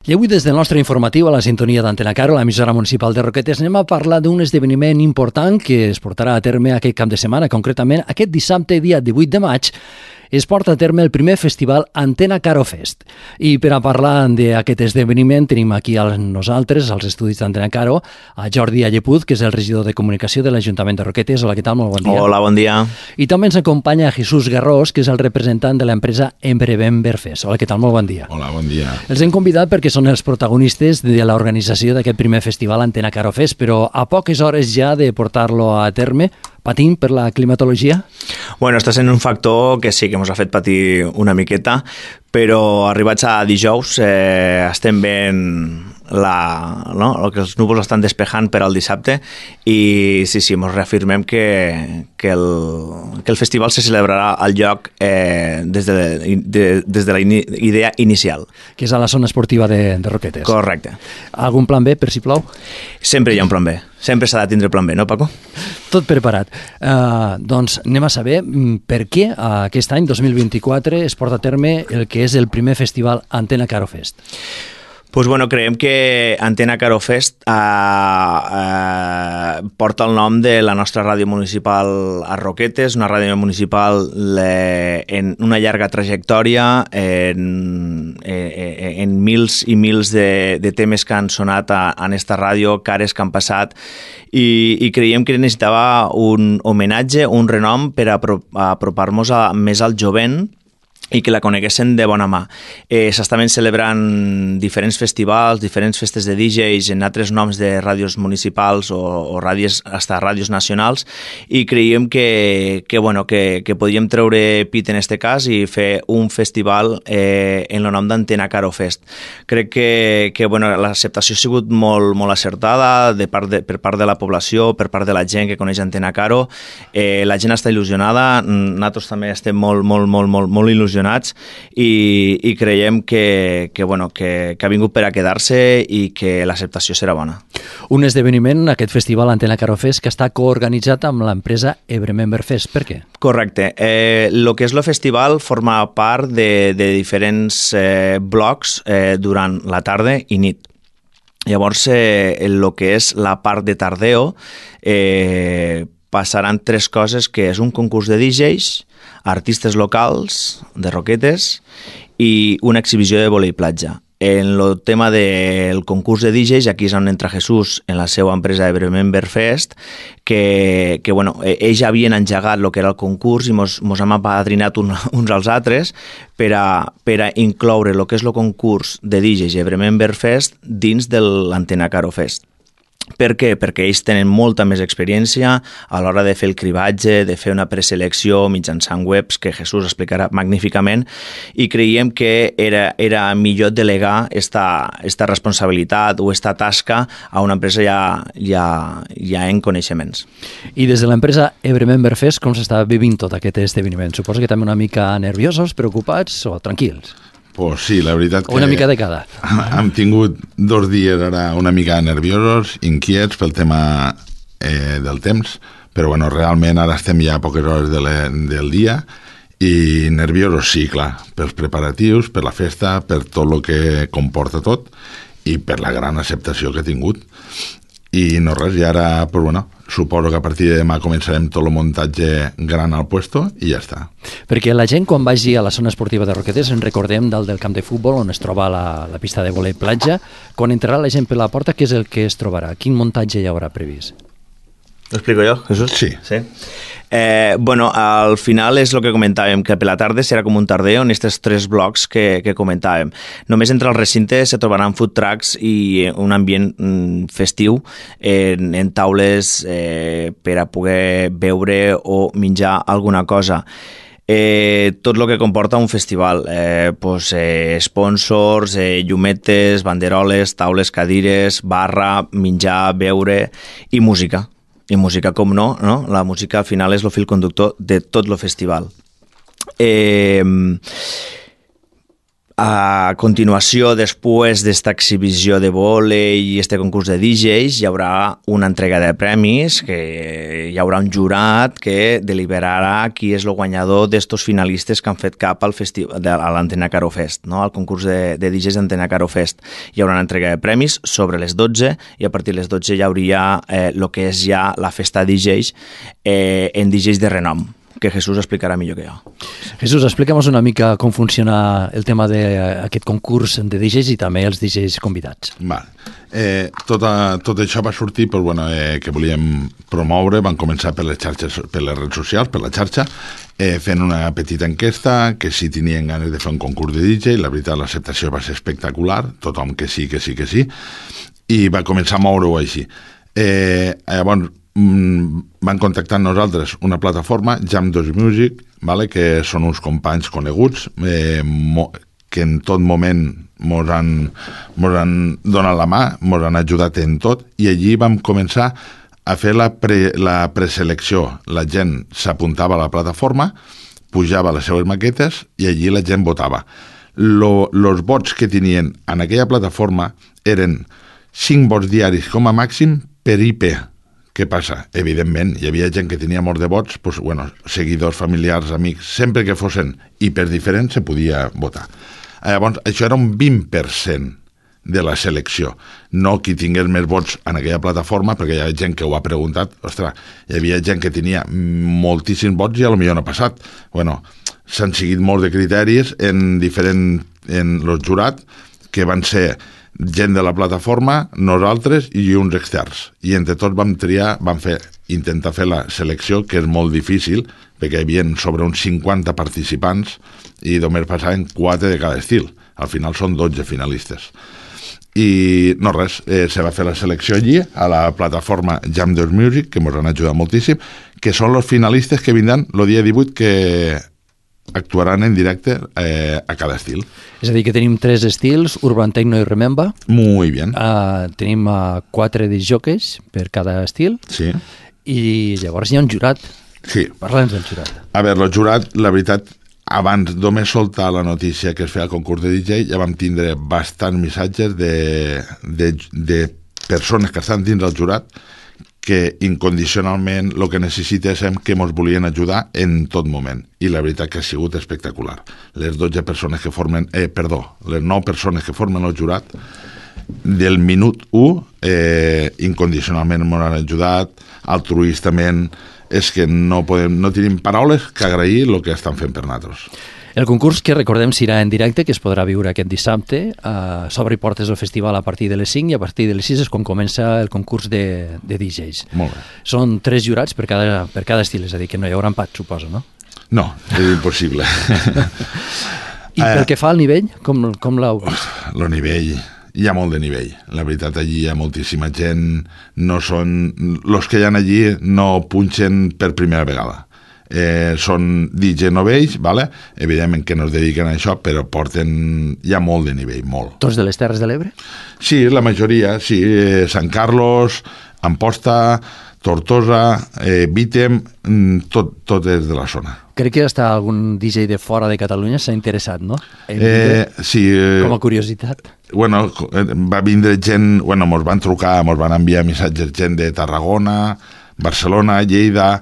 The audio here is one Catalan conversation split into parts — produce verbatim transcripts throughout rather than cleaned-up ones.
I avui des del nostre informatiu a la sintonia d'Antena Caro, l'emissora municipal de Roquetes, anem a parlar d'un esdeveniment important que es portarà a terme aquest cap de setmana, concretament aquest dissabte, dia divuit de maig, es porta a terme el primer festival Antena Caro Fest. I per a parlar d'aquest esdeveniment tenim aquí a nosaltres, als estudis d'Antena Caro, a Jordi Allepuz, que és el regidor de comunicació de l'Ajuntament de Roquetes. Hola, què tal? Molt bon dia. Hola, bon dia. I també ens acompanya Jesús Garrós, que és el representant de l'empresa Embremember Fest. Hola, què tal? Molt bon dia. Hola, bon dia. Els hem convidat perquè són els protagonistes de l'organització d'aquest primer festival Antena Caro Fest, però a poques hores ja de portar-lo a terme, patint per la climatologia? Bueno, està sent un factor que sí que ens ha fet patir una miqueta, però arribats a dijous eh, estem veient la, no? el que els núvols estan despejant per al dissabte i sí, sí, ens reafirmem que, que, el, que el festival se celebrarà al lloc eh, des, de, de, des de la in, idea inicial. Que és a la zona esportiva de, de Roquetes. Correcte. Algun plan B, per si plou? Sempre hi ha un plan B. Sempre s'ha de tindre plan B, no, Paco? Tot preparat. Uh, doncs anem a saber per què aquest any, dos mil vint-i-quatre, es porta a terme el que és el primer festival Antena Caro Fest. Pues bueno, creiem que Antena Caro Fest eh, eh, porta el nom de la nostra ràdio municipal a Roquetes, una ràdio municipal eh, en una llarga trajectòria, en, eh, en mils i mils de, de temes que han sonat a, en esta ràdio, cares que han passat, i, i creiem que necessitava un homenatge, un renom per a apropar-nos a, més al jovent, i que la coneguessin de bona mà. Eh, S'estaven celebrant diferents festivals, diferents festes de D Js en altres noms de ràdios municipals o, o ràdios, hasta ràdios nacionals, i creiem que, que, bueno, que, que podíem treure pit en este cas i fer un festival eh, en el nom d'Antena Caro Fest. Crec que, que bueno, l'acceptació ha sigut molt, molt acertada de part de, per part de la població, per part de la gent que coneix Antena Caro. Eh, la gent està il·lusionada, nosaltres també estem molt, molt, molt, molt, molt il·lusionats i, i creiem que, que, bueno, que, que ha vingut per a quedar-se i que l'acceptació serà bona. Un esdeveniment, aquest festival Antena Caro Fest, que està coorganitzat amb l'empresa Embremember Fest. Per què? Correcte. Eh, lo que és el festival forma part de, de diferents eh, blocs eh, durant la tarda i nit. Llavors, eh, el que és la part de tardeo, eh, passaran tres coses, que és un concurs de D Js, artistes locals de Roquetes i una exhibició de vòlei platja. En el tema del concurs de D Js, aquí és on entra Jesús en la seva empresa Embremember Fest, que, que bueno, ells havien engegat el que era el concurs i mos, mos hem apadrinat un, uns als altres per a, per a incloure el que és el concurs de D Js Embremember Fest dins de l'Antena Caro Fest. Per què? Perquè ells tenen molta més experiència a l'hora de fer el cribatge, de fer una preselecció mitjançant webs, que Jesús explicarà magníficament, i creiem que era, era millor delegar esta, esta responsabilitat o esta tasca a una empresa ja, ja, ja en coneixements. I des de l'empresa Embremember Fest, com s'està vivint tot aquest esdeveniment? Suposo que també una mica nerviosos, preocupats o tranquils? Pues sí, la veritat que... Una mica de cada. Hem tingut dos dies ara una mica nerviosos, inquiets pel tema eh, del temps, però bueno, realment ara estem ja a poques hores de le, del dia i nerviosos sí, clar, pels preparatius, per la festa, per tot el que comporta tot i per la gran acceptació que ha tingut. I no res, i ara, pues bueno, suposo que a partir de demà començarem tot el muntatge gran al puesto i ja està. Perquè la gent quan vagi a la zona esportiva de Roquetes, en recordem dalt del camp de futbol on es troba la, la pista de vòlei platja, quan entrarà la gent per la porta, què és el que es trobarà? Quin muntatge hi haurà previst? Lo explico jo, Jesús? Sí. Sí. Eh, bueno, al final és el que comentàvem, que per la tarda serà com un tardeo en aquests tres blocs que, que comentàvem. Només entre els recintes se trobaran food trucks i un ambient mm, festiu en, en taules eh, per a poder beure o menjar alguna cosa. Eh, tot el que comporta un festival, eh, pues, eh, sponsors, eh, llumetes, banderoles, taules, cadires, barra, menjar, beure i música. I música, com no, no? La música al final és el fil conductor de tot el festival. Eh, A continuació, després d'esta exhibició de vòlei i este concurs de D Js, hi haurà una entrega de premis, que hi haurà un jurat que deliberarà qui és el guanyador d'estos finalistes que han fet cap al festival, a l'Antena Caro Fest, no? Al concurs de, de D Js d'Antena Caro Fest. Hi haurà una entrega de premis sobre les dotze i a partir de les dotze hi hauria eh, el que és ja la festa D Js eh, en D Js de renom, que Jesús explicarà millor que jo. Jesús, explica'm una mica com funciona el tema d'aquest concurs de D Js i també els D Js convidats. Vale. Eh, tot, a, tot això va sortir pues, bueno, eh, que volíem promoure, van començar per les xarxes, per les redes socials, per la xarxa, eh, fent una petita enquesta, que si tenien ganes de fer un concurs de D J, la veritat l'acceptació va ser espectacular, tothom que sí, que sí, que sí, i va començar a moure-ho així. Eh, llavors, van contactar amb nosaltres una plataforma, Jam dos Music, vale? Que són uns companys coneguts eh, mo, que en tot moment mos han, mos han donat la mà, mos han ajudat en tot, i allí vam començar a fer la, pre, la preselecció. La gent s'apuntava a la plataforma, pujava les seues maquetes i allí la gent votava. Lo, los vots que tenien en aquella plataforma eren cinc vots diaris com a màxim per I P. Què passa? Evidentment, hi havia gent que tenia molt de vots, doncs, bueno, seguidors, familiars, amics, sempre que fossin hiperdiferents se podia votar. Llavors, això era un vint per cent de la selecció, no qui tingués més vots en aquella plataforma, perquè hi ha gent que ho ha preguntat, ostres, hi havia gent que tenia moltíssims vots i a lo millor no ha passat. Bueno, s'han seguit molts de criteris en diferents, en los jurats, que van ser gent de la plataforma, nosaltres i uns externs. I entre tots vam triar, vam fer, intentar fer la selecció, que és molt difícil, perquè hi havia sobre uns cinquanta participants i només passaven quatre de cada estil. Al final són dotze finalistes. I no res, eh, se va fer la selecció allí, a la plataforma Jam dos Music, que ens han ajudat moltíssim, que són els finalistes que vindran el dia divuit, que actuaran en directe eh, a cada estil. És a dir, que tenim tres estils, Urban Techno i Remember. Muy bien. Uh, tenim uh, quatre disjockeys per cada estil. Sí. I llavors hi ha un jurat. Sí. Parla'ns del jurat. A veure, el jurat, la veritat, abans només soltar la notícia que es feia el concurs de D J, ja vam tindre bastants missatges de, de, de persones que estan dins del jurat que incondicionalment el que necessita és que ens volien ajudar en tot moment. I la veritat que ha sigut espectacular. Les dotze persones que formen, eh, perdó, les nou persones que formen el jurat, del minut u, eh, incondicionalment ens han ajudat, altruistament, és que no, podem, no tenim paraules que agrair el que estan fent per nosaltres. El concurs, que recordem, serà en directe, que es podrà viure aquest dissabte. Uh, s'obre portes al festival a partir de les cinc i a partir de les sis és quan comença el concurs de, de D Js. Molt bé. Són tres jurats per cada, per cada estil, és a dir, que no hi haurà empat, suposo, no? No, és impossible. I pel que fa al nivell, com, com l'heu vist? El nivell, hi ha molt de nivell. La veritat, allí hi ha moltíssima gent. No són... Els que hi ha allí no punxen per primera vegada. Eh, són D J novells, vale? Evidentment que no es dediquen a això, però porten ja molt de nivell, molt. Tots de les Terres de l'Ebre? Sí, la majoria, sí. Eh, Sant Carlos, Amposta, Tortosa, eh, Vítem, tot, tot és de la zona. Crec que hasta algun D J de fora de Catalunya s'ha interessat, no? Eh, sí. Eh, com a curiositat. Bueno, va vindre gent, bueno, mos van trucar, mos van enviar missatges gent de Tarragona, Barcelona, Lleida,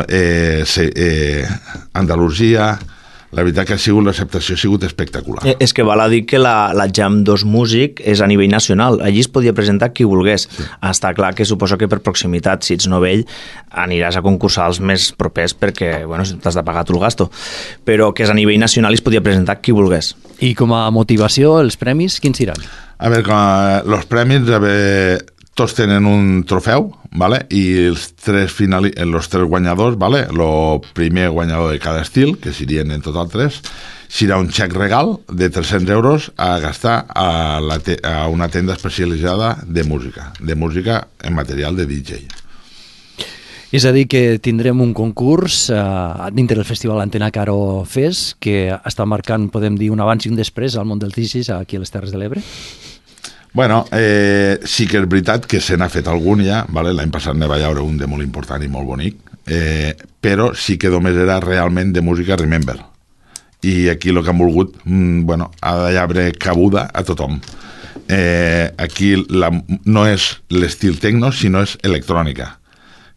Eh, eh, Andalusia. La veritat que ha sigut, l'acceptació ha sigut espectacular. Eh, és que val a dir que la, la Jam dos Music és a nivell nacional. Allí es podia presentar qui volgués. Sí. Està clar que suposo que per proximitat, si ets novell, aniràs a concursar els més propers perquè, bueno, t'has de pagar tu el gasto. Però que és a nivell nacional i es podia presentar qui volgués. I com a motivació, els premis, quins seran? A veure, com els premis, a veure, tots tenen un trofeu, vale? I els tres, finali... els tres guanyadors, vale? El primer guanyador de cada estil, que serien en total tres, serà un xec regal de tres-cents euros a gastar a, la te... a una tenda especialitzada de música, de música en material de D J. És a dir, que tindrem un concurs eh, dintre del Festival Antena Caro Fest que està marcant, podem dir, un abans i un després al món del D J aquí a les Terres de l'Ebre? Bueno, eh, sí que és veritat que se n'ha fet algun ja, vale? L'any passat ne va haure un de molt important i molt bonic, eh, però sí que només era realment de música Remember. i aquí el que han volgut, mm, bueno, ha d'haver cabuda a tothom. Eh, aquí la, no és l'estil tecno, sinó és electrònica,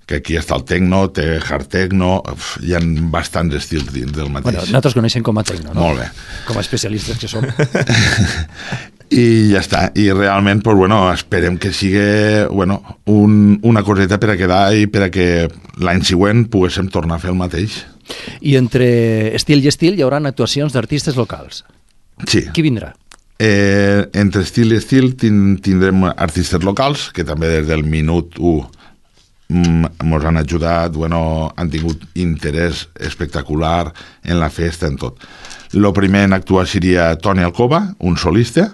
que aquí està el tecno, té hard tecno, uf, hi ha bastants estils dins del mateix. Bueno, nosaltres coneixem com a tecno, no? Molt bé. Com a especialistes que som. I ja està, i realment pues, bueno, esperem que sigui bueno, un, una coseta per a quedar i per a que l'any següent poguéssim tornar a fer el mateix. I entre estil i estil hi haurà actuacions d'artistes locals. Sí. Qui vindrà? Eh, entre estil i estil tindrem artistes locals que també des del minut u ens han ajudat, bueno, han tingut interès espectacular en la festa, en tot. El primer en actuar seria Toni Alcoba, un solista,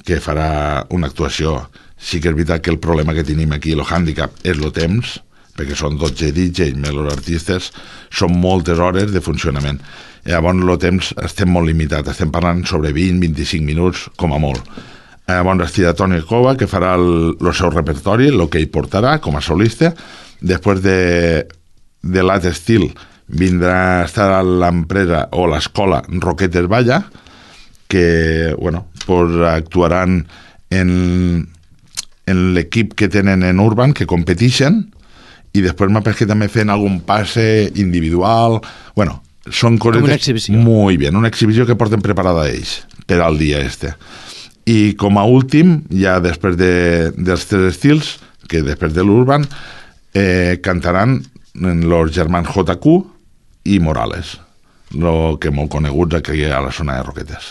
que farà una actuació. Sí que és veritat que el problema que tenim aquí, el hàndicap, és el temps, perquè són dotze D Js més els artistes, són moltes hores de funcionament. Llavors, el temps estem molt limitat, estem parlant sobre vint a vint-i-cinc minuts, com a molt. Llavors, estirà Toni Alcoba, que farà el, el seu repertori, el que ell portarà com a solista. Després de, de l'altre estil vindrà a estar l'empresa o l'escola Roquetes Balla, que bueno, pues actuaran en, en l'equip que tenen en Urban, que competeixen, i després m'ha que també fent algun passe individual. Bueno, són coses... Com una exhibició. Muy bien, una exhibició que porten preparada ells per al dia este. I com a últim, ja després de, dels tres estils, que després de l'Urban, eh, cantaran els germans J Q i Morales, lo que molt coneguts aquí a la zona de Roquetes.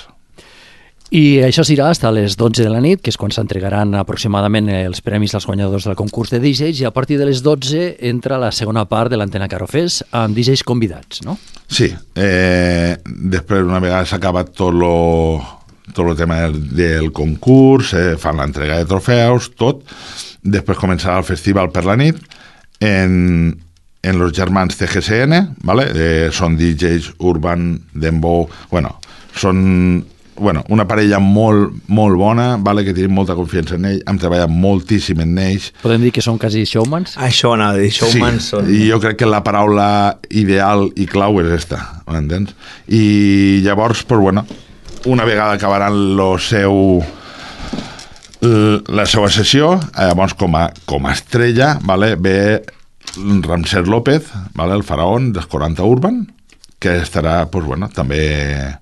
I això serà fins a les dotze de la nit, que és quan s'entregaran aproximadament els premis als guanyadors del concurs de D Js, i a partir de les dotze entra la segona part de l'Antena Caro Fest amb D Js convidats, no? Sí, eh, després una vegada s'ha acabat tot lo, tot el tema del, del concurs, eh, fan l'entrega de trofeus, tot, després començarà el festival per la nit, en, en los germans T G C N, ¿vale? Eh, són D Js Urban, Dembow, bueno, són bueno, una parella molt, molt bona, vale, que tenim molta confiança en ell, hem treballat moltíssim en ells. Podem dir que són quasi showmans? Això anava a dir, showmans sí, són... i jo crec que la paraula ideal i clau és esta, m'entens? I llavors, pues, bueno, una vegada acabaran lo seu la seva sessió, llavors com a, com a estrella, vale, ve Ramsés López, vale, el faraón dels quaranta Urban, que estarà, pues, bueno, també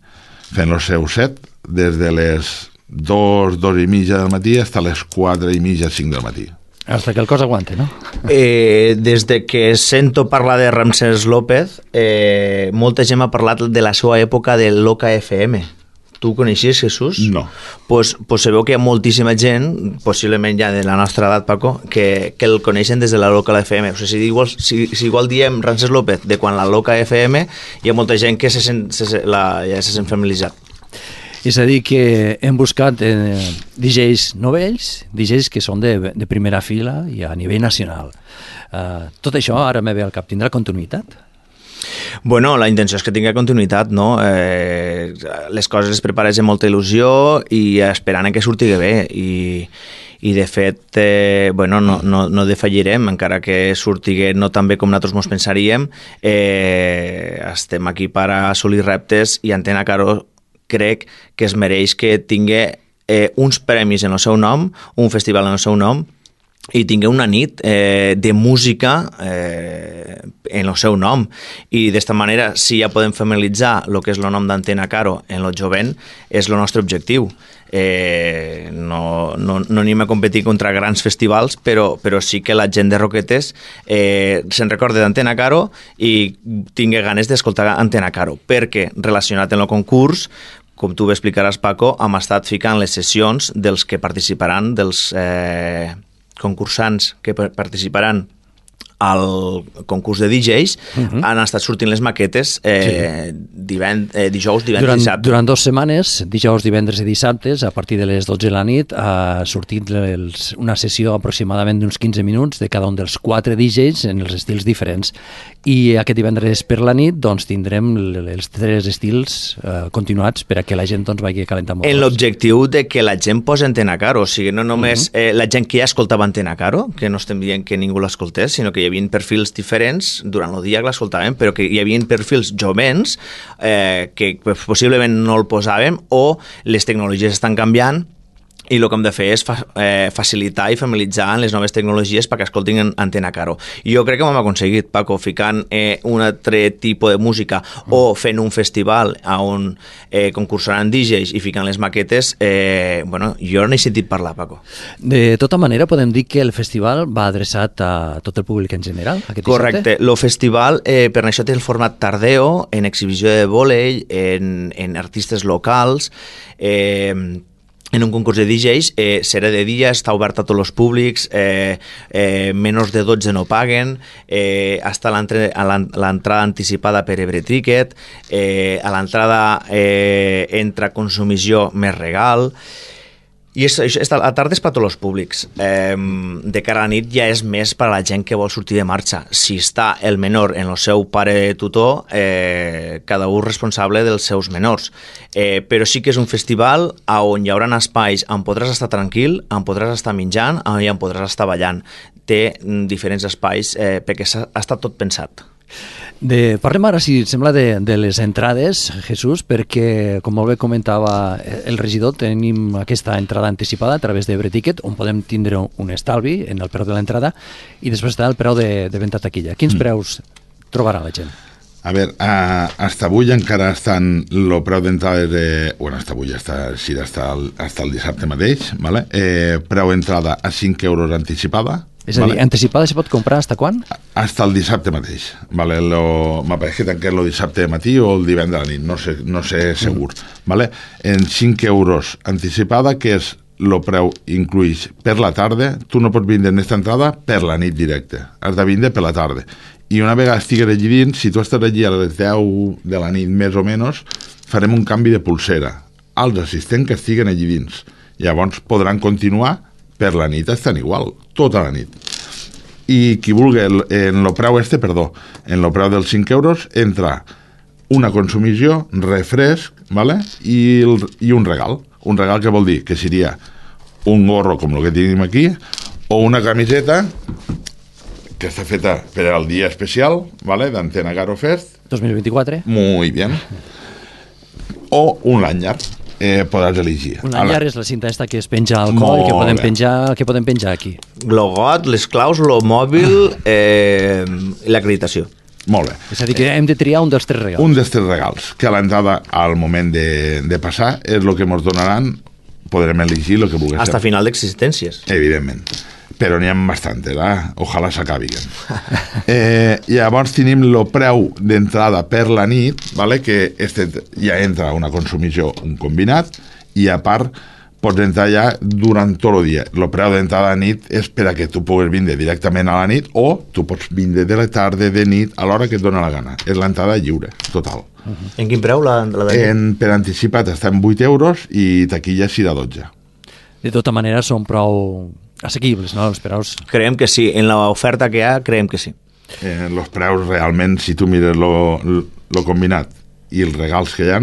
fent el seu set des de les dos, dos i mitja del matí fins a les quatre i mitja, cinc del matí. Hasta que el cos aguante, no? Eh, des de que sento parlar de Ramsés López, eh, molta gent m'ha parlat de la seva època de l'Oca F M. Tu ho coneixies, Jesús? No. Pues, pues sabeu que hi ha moltíssima gent, possiblement ja de la nostra edat, Paco, que, que el coneixen des de la Loca F M. O sigui, si, igual, si, si igual diem Ramsés López de quan la Loca F M, hi ha molta gent que se sent, se, la, ja se sent familiaritzat. És a dir, que hem buscat eh, D Js novells, D Js que són de, de primera fila i a nivell nacional. Uh, tot això, ara me ve al cap, tindrà continuïtat? Bueno, la intenció és que tingui continuïtat, no? Eh, les coses es prepares amb molta il·lusió i esperant que surti bé i, i de fet, eh, bueno, no, no, no defallirem, encara que surti no tan bé com nosaltres mos pensaríem. Eh, estem aquí per assolir reptes i Antena Caro crec que es mereix que tingui eh, uns premis en el seu nom, un festival en el seu nom, i tingui una nit eh, de música eh, en el seu nom. I d'esta manera, si ja podem familiaritzar el que és el nom d'Antena Caro en el jovent, és el nostre objectiu. Eh, no, no, no anem a competir contra grans festivals, però, però sí que la gent de Roquetes eh, se'n recorda d'Antena Caro i tingui ganes d'escoltar Antena Caro, perquè relacionat amb el concurs, com tu ho explicaràs, Paco, hem estat ficant les sessions dels que participaran, dels eh, concursants que participaran al concurs de D Js, uh-huh. han estat sortint les maquetes eh, sí. divend, eh, dijous, divendres durant, i dissabte. Durant dues setmanes, dijous, divendres i dissabtes, a partir de les dotze de la nit, ha sortit els, una sessió aproximadament d'uns quinze minuts de cada un dels quatre D Js en els estils diferents. I aquest divendres per la nit doncs, tindrem els tres estils eh, continuats per a que la gent doncs, vagi calentant molt. En l'objectiu de que la gent posi Antena Caro, o sigui, no només uh-huh. eh, la gent que ja escoltava Antena Caro, que no estem dient que ningú l'escoltés, sinó que hi havia perfils diferents, durant el dia que l'escoltàvem, però que hi havia perfils jovens eh, que possiblement no el posàvem, o les tecnologies estan canviant, i el que hem de fer és fa, eh, facilitar i familiaritzar les noves tecnologies perquè escoltin en Antena Caro. I jo crec que ho hem aconseguit, Paco, ficant eh, un altre tipus de música mm. o fent un festival on eh, concursaran D Js i ficant les maquetes, eh, bueno, jo n'he sentit parlar, Paco. De tota manera, podem dir que el festival va adreçat a tot el públic en general? Aquest Correcte. dissabte? El festival, eh, per això té el format tardeo, en exhibició de vòlei, en, en artistes locals, eh, en un concurs de D Js, eh, serà de dia, està obert a tots els públics, eh, eh, menys de dotze no paguen, eh, està l'entrada anticipada per Ebre Ticket, eh, a l'entrada eh, entra consumició més regal, i és, és, a la tarda és per tots els públics. Eh, de cara a la nit ja és més per a la gent que vol sortir de marxa. Si està el menor en el seu pare tutor, eh, cada un responsable dels seus menors. Eh, però sí que és un festival on hi haurà espais on podràs estar tranquil, on podràs estar menjant i on podràs estar ballant. Té diferents espais eh, perquè ha estat tot pensat. De, parlem ara, si et sembla, de, de les entrades, Jesús, perquè, com molt bé comentava el regidor, tenim aquesta entrada anticipada a través d'Ebre Ticket, on podem tindre un estalvi en el preu de l'entrada, i després està el preu de, de venda taquilla. Quins mm. preus trobarà la gent? A veure, a, hasta avui encara estan el preu d'entrada de... Bueno, hasta avui està, sí, hasta el, hasta el dissabte mateix, ¿vale? Eh, preu d'entrada a cinc euros anticipada. És a dir, ¿vale? Anticipada se pot comprar hasta quan? Hasta el dissabte mateix. Vale? Lo, m'apareix que tanquem el dissabte de matí o el divendres a la nit, no sé, no sé segur. Mm. Vale? En cinc euros anticipada, que és el preu incluïx per la tarda, tu no pots vindre en aquesta entrada per la nit directe, has de vindre per la tarda. I una vegada estigues allí dins, si tu estàs allí a les deu de la nit més o menys, farem un canvi de pulsera als assistents que estiguen allí dins. Llavors podran continuar per la nit, estan igual, tota la nit. I qui vulgui, en el preu este, perdó, en el preu dels cinc euros, entra una consumició, refresc, ¿vale? I, el, i un regal. Un regal que vol dir que seria un gorro com el que tenim aquí, o una camiseta que està feta per al dia especial, ¿vale? D'Antena Caro Fest. dos mil vint-i-quatre. Muy bien. O un lanyard. Eh, podràs elegir. Un lanyard és la cinta esta que es penja al coll, que podem penjar, que podem penjar aquí. Logot, les claus, lo mòbil eh, i l'acreditació. Molt bé. És a dir, que hem de triar un dels tres regals. Un dels tres regals, que a l'entrada, al moment de, de passar, és el que ens donaran, podrem elegir el que vulguem. Hasta final d'existències. Evidentment. Però n'hi ha bastant, eh? Ojalà s'acabiguen. Eh, llavors tenim el preu d'entrada per la nit, ¿vale? Que este ja entra una consumició, un combinat, i a part pots entrar ja durant tot el dia. El preu d'entrada a nit és per a que tu puguis vindre directament a la nit, o tu pots vindre de la tarda, de nit, a l'hora que et dona la gana. És l'entrada lliure, total. Uh-huh. En quin preu la, la de nit? En, per anticipat està en vuit euros i taquilla serà dotze. De tota manera són prou assequibles, no? Els preus. Creiem que sí. En l'oferta que hi ha, creiem que sí. Eh, els preus realment, si tu mires lo combinat i els regals que hi ha,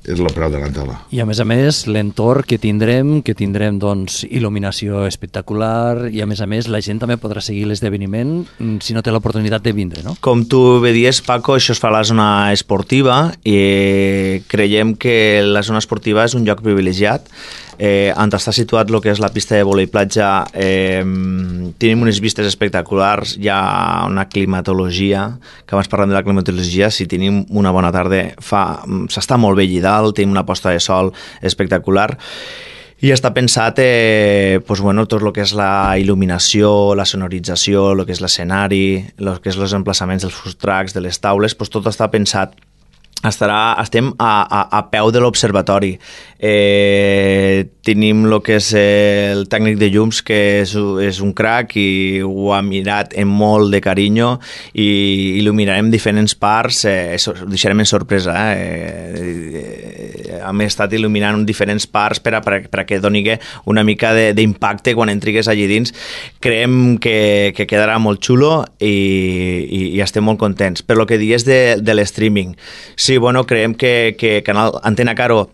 és el preu de l'entrada. I a més a més, l'entorn que tindrem, que tindrem doncs il·luminació espectacular, i a més a més la gent també podrà seguir l'esdeveniment si no té l'oportunitat de vindre, no? Com tu bé dies, Paco, això es fa a la zona esportiva i creiem que la zona esportiva és un lloc privilegiat. Eh, on està situat el que és la pista de vòlei platja, eh, tenim unes vistes espectaculars, hi ha una climatologia, que abans parlem de la climatologia, si tenim una bona tarda, fa, s'està molt bé allà dalt, tenim una posta de sol espectacular, i està pensat eh, pues, bueno, tot el que és la il·luminació, la sonorització, el que és l'escenari, el que és els emplaçaments dels food trucks, de les taules, pues, tot està pensat. Estarà, estem a, a, a peu de l'observatori. Eh, tenim el que és el tècnic de llums, que és, és un crack i ho ha mirat amb molt de carinyo, i il·luminarem diferents parts, eh, ho deixarem en sorpresa. Eh? Eh, hem estat il·luminant diferents parts per a, per a, per a que doni una mica d'impacte quan entrigues allí dins. Creiem que, que quedarà molt xulo i, i, i estem molt contents. Per lo que dius de, de l'streaming, sí, bueno, creiem que, que Canal Antena Caro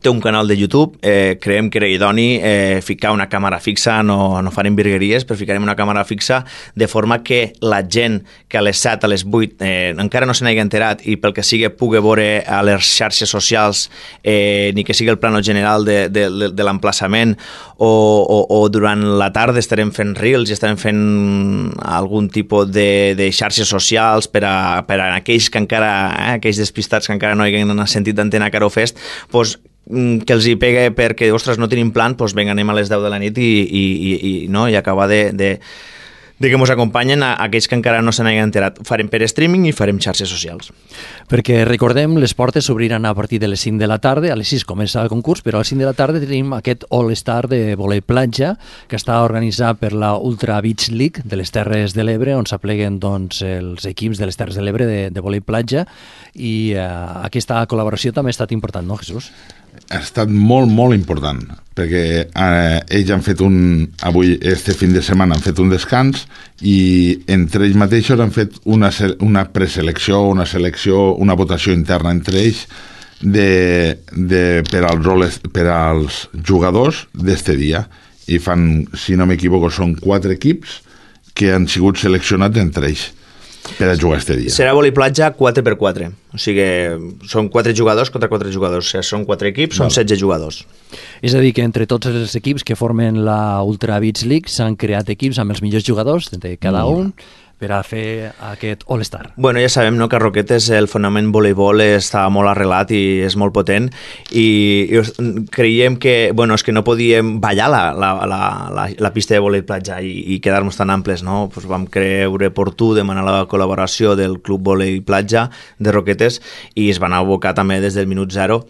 té un canal de YouTube, eh, creiem que era idoni eh, ficar una càmera fixa, no, no farem virgueries, però ficarem una càmera fixa de forma que la gent que a les set, a les vuit eh, encara no se n'hagi enterat i pel que sigui pugui veure a les xarxes socials eh, ni que sigui el plano general de, de, de, de l'emplaçament o, o, o durant la tarda estarem fent reels i estarem fent algun tipus de, de xarxes socials per a, per a aquells que encara, eh, aquells despistats que encara no hagin sentit d'Antena Caro Fest, doncs que els hi pegue perquè, ostres, no tenim plan, doncs vinga, anem a les deu de la nit i, i, i, i, no? I acabar de, de, de que ens acompanyen a, a aquells que encara no se n'hagin enterat. Farem per streaming i farem xarxes socials. Perquè recordem, les portes s'obriran a partir de les cinc de la tarda, a les sis comença el concurs, però a les cinc de la tarda tenim aquest All-Star de vòlei platja que està organitzat per la Ultra Beach League de les Terres de l'Ebre, on s'apleguen doncs, els equips de les Terres de l'Ebre de, de vòlei platja, i eh, aquesta col·laboració també ha estat important, no, Jesús? Ha estat molt, molt important, perquè eh, ells han fet un, avui, este fin de setmana, han fet un descans i entre ells mateixos han fet una, una preselecció, una selecció, una votació interna entre ells de, de, per, als, per als jugadors d'este dia. I fan, si no m'equivoco, són quatre equips que han sigut seleccionats entre ells per a jugar este dia. Serà vòlei platja quatre per quatre, o sigui, són quatre jugadors contra quatre jugadors, o sigui, són quatre equips, són setze jugadors. És a dir, que entre tots els equips que formen la Ultra Beach League s'han creat equips amb els millors jugadors de cada un per a fer aquest All-Star. Bueno, ja sabem, no?, que a Roquetes el fonament voleibol està molt arrelat i és molt potent i, i creiem que, bueno, és que no podíem ballar la, la, la, la, la pista de vòlei platja i, i quedar-nos tan amples, no? Pues vam creure oportú demanar la col·laboració del Club Vòlei Platja de Roquetes i es van abocar també des del minut zero.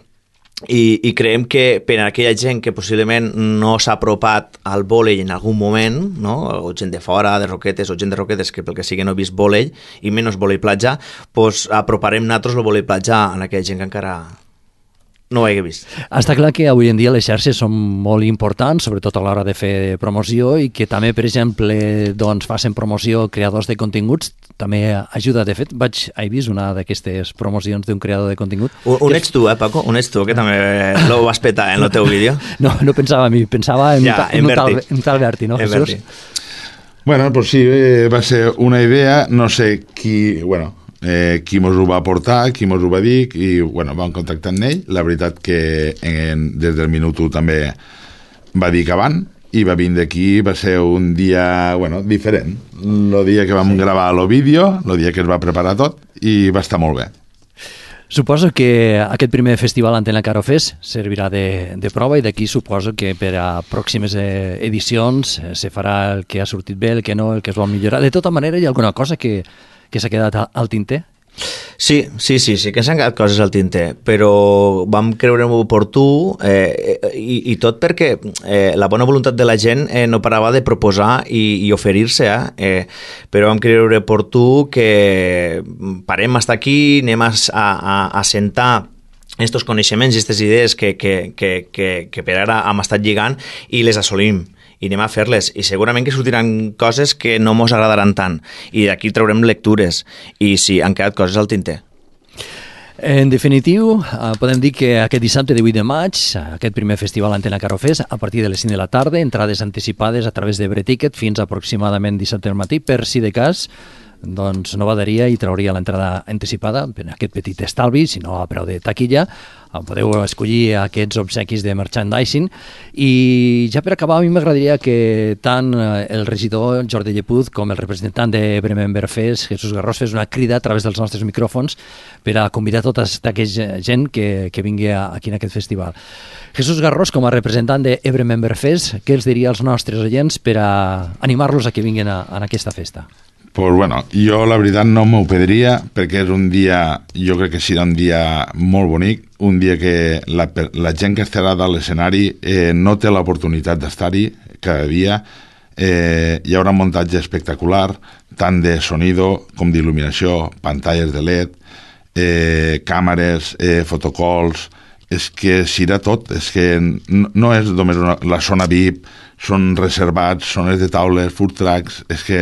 I, i creiem que per a aquella gent que possiblement no s'ha apropat al vòlei en algun moment, no? O gent de fora, de Roquetes, o gent de Roquetes que pel que sigui no ha vist vòlei, i menys vòlei platja, doncs aproparem nosaltres el vòlei platja a aquella gent que encara no ho hagi vist. Està clar que avui en dia les xarxes són molt importants, sobretot a l'hora de fer promoció, i que també, per exemple, doncs, facin promoció creadors de continguts, també ajuda. De fet, vaig, he vist una d'aquestes promocions d'un creador de contingut. Un, un ets tu, eh, Paco? Un ets tu, que també lo vas petar en el teu vídeo. No, no pensava a mi, pensava en, ja, en, en, un, tal, en tal Berti, no, en Jesús? Berti. Bueno, pues sí, eh, va ser una idea, no sé qui, bueno, eh, qui mos ho va aportar, qui mos ho va dir, i bueno, vam contactar amb ell. La veritat que en, des del minut u també va dir que van, i va vindre aquí, va ser un dia, bueno, diferent. El dia que vam sí. gravar el vídeo, el dia que es va preparar tot, i va estar molt bé. Suposo que aquest primer festival Antena Caro Fest servirà de, de prova, i d'aquí suposo que per a pròximes edicions se farà el que ha sortit bé, el que no, el que es vol millorar. De tota manera, hi ha alguna cosa que, que s'ha quedat al tinter? Sí, sí, sí, sí que s'han quedat coses al tinter, però vam creure oportú eh, i, i tot perquè eh, la bona voluntat de la gent eh, no parava de proposar i, i oferir-se, eh? Eh, però vam creure oportú que parem hasta aquí, anem a, a, a sentar estos coneixements i aquestes idees que, que, que, que, que per ara hem estat lligant i les assolim. I anem a fer-les, i segurament que sortiran coses que no mos agradaran tant, i d'aquí traurem lectures, i sí, han quedat coses al tinter. En definitiu, podem dir que aquest dissabte divuit de maig, aquest primer festival Antena Caro Fest, a partir de les cinc de la tarda, entrades anticipades a través de Breticket fins aproximadament dissabte al matí, per si de cas doncs no badaria i trauria l'entrada anticipada per aquest petit estalvi, si no a preu de taquilla. Podeu escollir aquests obsequis de merchandising. I ja per acabar, a mi m'agradaria que tant el regidor Jordi Llepuz com el representant de Bremember Fest, Jesús Garrós, fes una crida a través dels nostres micròfons per a convidar tota aquesta gent que, que vingui aquí en aquest festival. Jesús Garrós, com a representant de Bremember Fest, què els diria als nostres oients per a animar-los a que vinguin a, a aquesta festa? Pues bueno, jo la veritat no m'ho perdria, perquè és un dia, jo crec que serà un dia molt bonic, un dia que la, la gent que estarà a l'escenari eh, no té l'oportunitat d'estar-hi cada dia. Eh, hi haurà un muntatge espectacular, tant de sonido com d'il·luminació, pantalles de L E D, eh, càmeres, eh, fotocols, és que serà tot, és que no, no és només una, la zona V I P, són reservats, zones de taules, food trucks, és que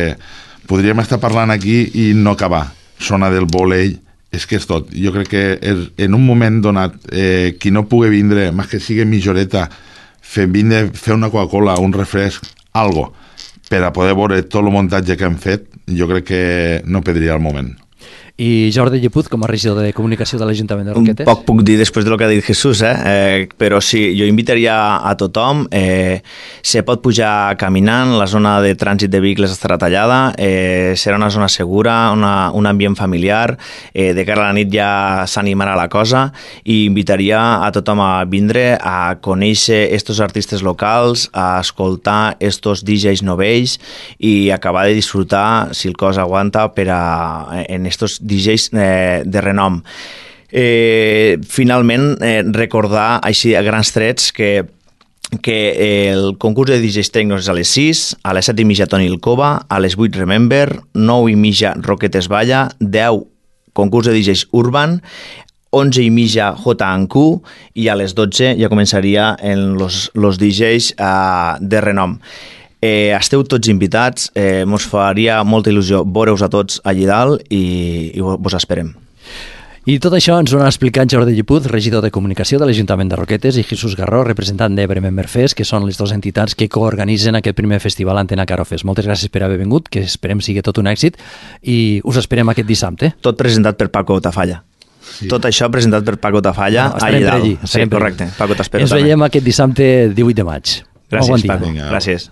podríem estar parlant aquí i no acabar. Zona del vòlei, és que és tot. Jo crec que és, en un moment donat, eh, qui no pugui vindre, més que sigui mitja horeta, fer, vindre, fer una Coca-Cola, un refresc, algo, per a poder veure tot el muntatge que hem fet, jo crec que no perdria el moment. I Jordi Llepuz, com a regidor de Comunicació de l'Ajuntament de Roquetes? Poc puc dir després de lo que ha dit Jesús, eh? eh però sí, jo invitaria a tothom, eh, se pot pujar caminant, la zona de trànsit de vehicles estarà tallada, eh, serà una zona segura, una, un ambient familiar, eh, de cara a la nit ja s'animarà la cosa, i invitaria a tothom a vindre a conèixer estos artistes locals, a escoltar estos D Js novells i acabar de disfrutar, si el cos aguanta, per a, en estos D Js eh, de renom. Eh, finalment, eh, recordar així a grans trets que, que el concurs de D Js Tecnos és a les sis, a les set i mitja Toni el Cova, a les vuit Remember, nou i mitja Roquetes Balla, deu concurs de D Js Urban, onze i mitja J and Q i a les dotze ja començaria en los, los D Js uh, de renom. Eh, esteu tots invitats, eh, mos faria molta il·lusió veure-us a tots allí dalt i, i vos esperem. I tot això ens ho han explicat Jordi Llepuz, regidor de Comunicació de l'Ajuntament de Roquetes, i Jesús Garró, representant de Remember Fest, que són les dues entitats que coorganitzen aquest primer festival Antena Caro Fest. Moltes gràcies per haver vingut, que esperem sigui tot un èxit, i us esperem aquest dissabte. Tot presentat per Paco Tafalla. Sí. Tot això presentat per Paco Tafalla, no, allà dalt. Allí, sí, correcte. Paco, t'espero Ens també. veiem aquest dissabte divuit de maig. Gràcies, bon Paco. Gràcies.